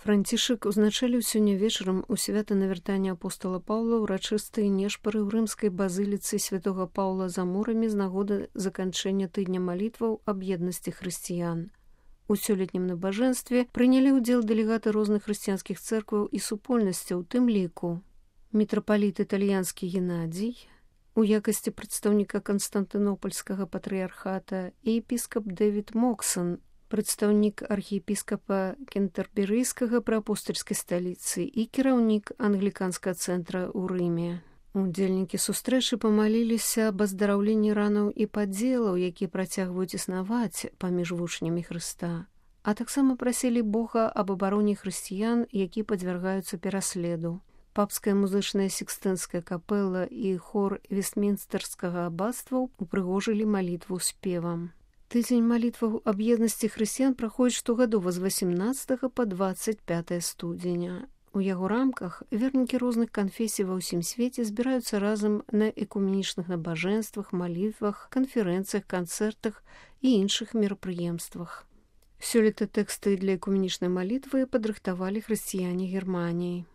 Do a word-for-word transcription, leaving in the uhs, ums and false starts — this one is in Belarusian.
Францішак узначаліў сёння вечарам у свята навяртання апостола Паўла ўрачыстыя нешпары ў рымскай базыліцы святога Паўла за мурамі з нагоды заканчэння тыдня малітваў аб еднасці хрысціян. У сёлетнім набажэнстве прынялі ўдзел дэлегаты розных хрысціянскіх цэркваў і супольнасцяў, у тым ліку мітрапаліт італьянскі Геннадзій, у якасці прадстаўніка Канстантынопольскага патрыярхата, і епіскап Дэвід Моксан, прадстаўнік архіепіскапа Кентерберыйскага пры апостальскай сталіцы і кіраўнік англіканскага цэнтра ў Рыме. Удзельнікі сустрэчы памаліліся аб аздараўленні ранаў і падзелаў, якія працягваюць існаваць паміж вучнямі Хрыста, а таксама прасілі Бога аб абароне хрысціян, які падвяргаюцца пераследу. Папская музычная сікстынская капэла і хор Вестмінстэрскага абацтва упрыгожылі малітву спевам. Тыдзень малітваў аб еднасці хрысціян праходзіць штогадова з васямнаццатага па дваццаць пятае студзеня. У яго рамках вернікі розных канфесій ва ўсім свеце збіраюцца разам на экуменічных набажэнствах, малітвах, канферэнцыях, канцэртах і іншых мерапрыемствах. Сёлета тэксты для экуменічнай малітвы падрыхтавалі хрысціяне Германіі.